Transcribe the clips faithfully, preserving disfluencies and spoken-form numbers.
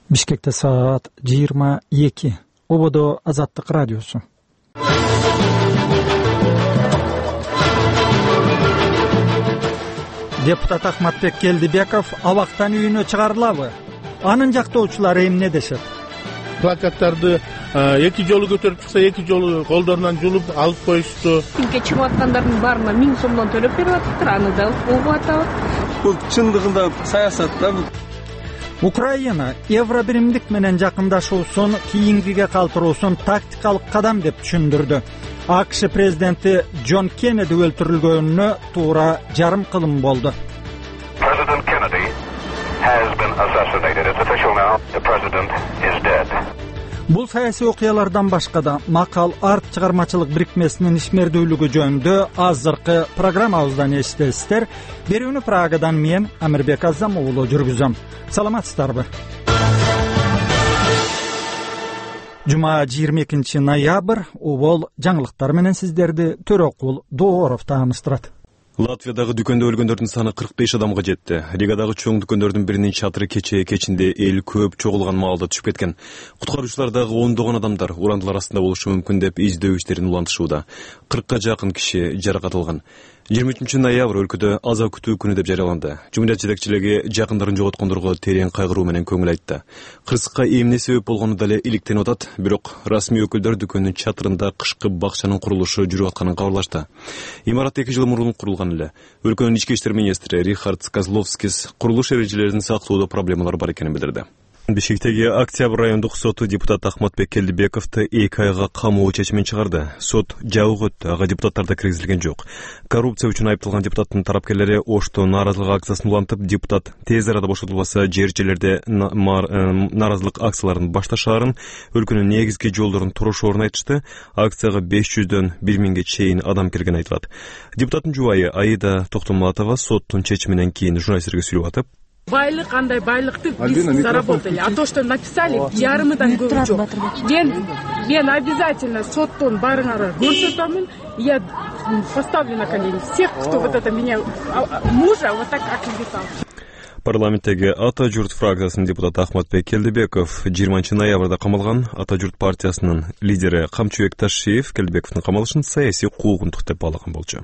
Бишкекте саат жыйырма эки. Ободо Азаттык радиосу. Депутат Ахматбек Келдибеков абактан үйүнө чыгарылабы? Анын жактоочулары эмне дешет? Плакаттарды эки жолу көтөрүп чыкса, эки жолу колдорунан жулуп алып коюшту. Тинке чыгып аткандардын баарына миң сомдон төлөп берип атыптыр, аны да угуп атабыз. Бул чындыгында саясат да. Украина евробиримдик менен жакындашуусун кийингиге калтыруусун тактикалык кадам деп түшүндүрдү. АКШ президенти Джон Кеннеди өлтүрүлгөнүнө туура жарым кылым болду. President Kennedy has been assassinated. It's official now. The president is dead. Бул саясий окуялардан башка да Макал арт чыгармачылык бирикмесинин ишмердүүлүгү жөнүндө азыркы программабыздан эстесиздер. Берүүнү Прагадан мен Амирбек Азам уулу жүргүзөм. Саламатсыздарбы? Жума жыйырма экинчи ноябрь убол жаңылыктар менен сиздерди Төрөкул Дооров тааныштырат. Латвиядагы дүкөндө өлгөндөрдүн саны кырк беш адамга жетти. Ригадагы чоң дүкөндөрдүн биринин чатыры кечээ кечинде эл көп чогулган маалда түшүп кеткен. Куткаруучулар дагы ондогон адамдар урандылар астында болушу мүмкүн деп издөө иштерин улантышууда. кыркка жакын киши жаракат алган. жыйырма үчүнчү ноябрь өлкөдө аза күтүү күнү деп жарыяланды. Жумурат жетекчилиги жакындарын жоготкондорго терең кайгыруу менен көңүл айтты. Кырсыкка эмне себеп болгону дале иликтенип атат, бирок расмий өкүлдөр дүкөндүн чатырында кышкы бакчанын курулушу жүрүп атканын кабарлашты. Имарат эки жыл мурун курулган эле. Өлкөнүн ички иштер министри Рихард Козловскис курулуш эрежелерин сактоодо проблемалар бар экенин билдирди. Бишкектеги Октябрь райондук соту депутат Ахматбек Келдибековду эки айга камоо чечимин чыгарды. Сот жабык өттү, ага депутаттар да киргизилген жок. Коррупция үчүн айыпталган депутаттын тарапкерлери Ошто нааразылык акциясын улантып, депутат тез арада бошотулбаса жер жерлерде нааразылык акцияларын башташаарын, өлкөнүн негизги жолдорун турушоорун айтышты. Акцияга беш жүздөн бир миңге чейин адам келген айтылат. Депутаттын жубайы Аида Токтомулатова соттун чечиминен кийин журналисттерге сүйлөп атып, Байлык кандай байлыкты биз заработали, а то, что написали, ярымыдан көп жок. Мен мен обязательно соттон барыңар көрсөтөмүн. Я поставлю на колени всех, кто вот это меня мужа вот так оклеветал. Парламенттеги Ата журт фракциясынын депутаты Ахматбек Келдибеков жыйырманчы ноябрда камалган. Ата журт партиясынын лидери Камчыбек Ташиев Келдибековдун камалышын саясий куугунтук деп баалаган болчу.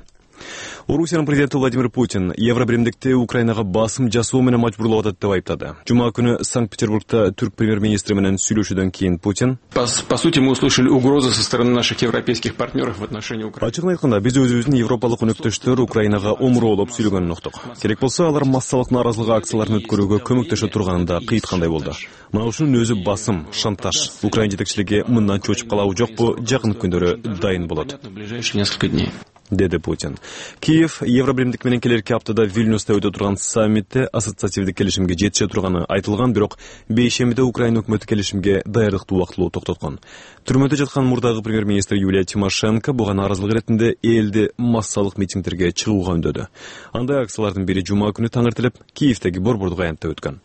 Орусиянын президенти Владимир Путин евробиримдикти Украинага басым жасоо менен мажбурлап атат деп айыптады. Жума күнү Санкт-Петербургда түрк премьер-министри менен сүйлөшүүдөн кийин Путин По, по сути, мы услышали угрозы со стороны наших европейских партнеров в отношении Украины. Ачыгын айтканда, биз өзүбүздүн европалык өнөктөштөр Украинага омуроолоп сүйлөгөнүн уктук. Керек болсо алар массалык нааразылык акцияларын өткөрүүгө көмөктөшө турганында кыйыткандай болду. Мына ушунун өзү басым, шантаж. Украина жетекчилиги мындан чочуп калабы жокпу, жакын күндөрү дайын болот. В ближайшие несколько дней. Деди Путин. Киев евробиримдик менен келерки аптада Вильнюста өтө турган саммитте ассоциативдик келишимге жетише турганы айтылган, бирок бейшембиде Украина өкмөтү келишимге даярдыкты убактылуу токтоткон. Түрмөдө жаткан мурдагы премьер-министр Юлия Тимошенко буга нааразылык иретинде элди массалык митингдерге чыгууга үндөдү. Андай акциялардын бири жума күнү таңертелеп Киевдеги Борбордук аянтта өткөн.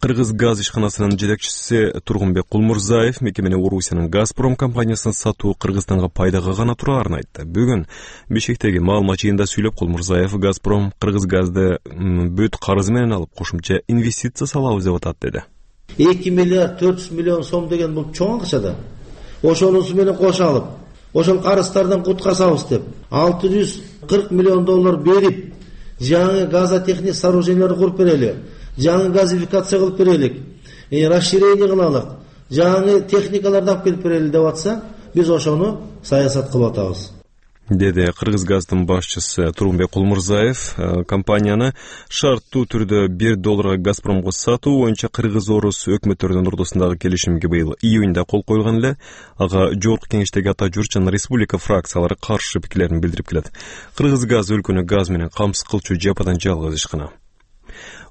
Кыргыз газ ишканасынын жетекчиси Тургунбек Кулмурзаев мекемени Орусиянын Газпром компаниясынын сатуу Кыргызстанга пайдага гана тураарын айтты. Бүгүн Бишкектеги маалымат жыйынында сүйлөп Кулмурзаев Газпром Кыргыз газды бүт карызы менен алып кошумча инвестиция салабыз деп атат деди. эки миллиард төрт жүз миллион сом деген бул чоң акча да. Ошонусу менен кошо алып, ошол карыздардан куткарсабыз деп алты жүз кырк миллион доллар берип, жаңы газотехник сооруженияларды куруп берели. Жаңы газификация кылып берелик, расширение кылалык, жаңы техникаларды алып келип берели деп атса, биз ошону саясат кылып атабыз. Деди Кыргыз газдын башчысы Тургунбек Кулмурзаев. Компанияны шарттуу түрдө бир долларга Газпромго сатуу боюнча Кыргыз-Орус өкмөттөрүнүн ортосундагы келишимге быйыл июнда кол коюлган эле. Ага жогорку кеңештеги Ата журт жана республика фракциялары каршы пикирлерин билдирип келет. Кыргыз газ өлкөнү газ менен камсыз кылчу жападан жалгыз ишкана.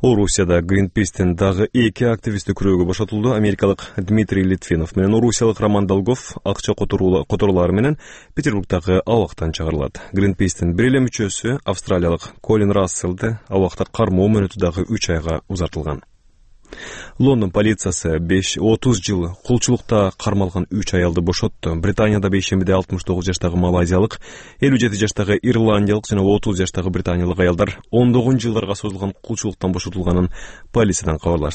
Орусияда Greenpeace'тен дагы эки активисти күрөөгө бошотулду. Америкалык Дмитрий Литвинов менен орусиялык Роман Долгов акча которуулары менен Петербургдагы абактан чыгарылат. Greenpeace'тин бир эле мүчөсү австралиялык Колин Расселди абакта кармоо мөөнөтү дагы үч айга узартылган. Лондон полициясы беш отуз жыл кулчулукта кармалган үч аялды бошотту. Британияда бейшембиде алтымыш тогуз жаштагы малайзиялык, элүү жети жаштагы ирландиялык жана отуз жаштагы британиялык аялдар ондогон жылдарга созулган кулчулуктан бошотулганын полициядан кабарлашты.